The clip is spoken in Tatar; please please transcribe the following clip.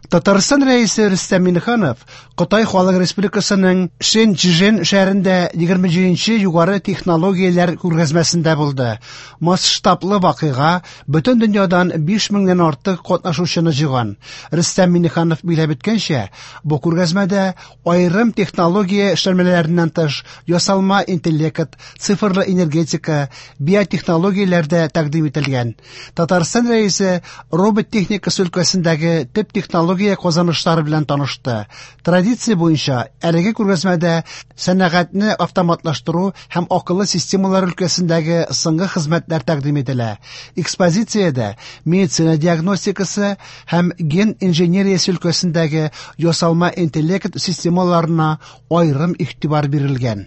Татарстан Рәисе Рөстәм Миңнеханов Кытай Халык Республикасының Шэньчжэн шәһәрендә 27 нче югары технологияләр күргәзмәсендә булды. Масштаблы вакыйга бөтен дөньядан 5 меңнән артык катнашучыны җыйган. Рөстәм Миңнеханов билгеләп үткәнчә, бу күргәзмәдә аерым технология эшләнмәләреннән тыш, ясалма интеллект, цифрлы энергетика, биотехнологияләр дә тәкъдим ителгән. Татарстан Рәисе робот техникасы өлкәсендәге төп технология казанышлары белән танышты. Традиция буенча әлеге күргәзмәдә сәнәгатьне автоматлаштыру һәм акыллы системалар өлкәсендәге соңгы хезмәтләр тәкъдим ителә. Экспозициядә медицина диагностикасы һәм ген инженериясе өлкәсендәге ясалма интеллект системаларына аерым игътибар бирелгән.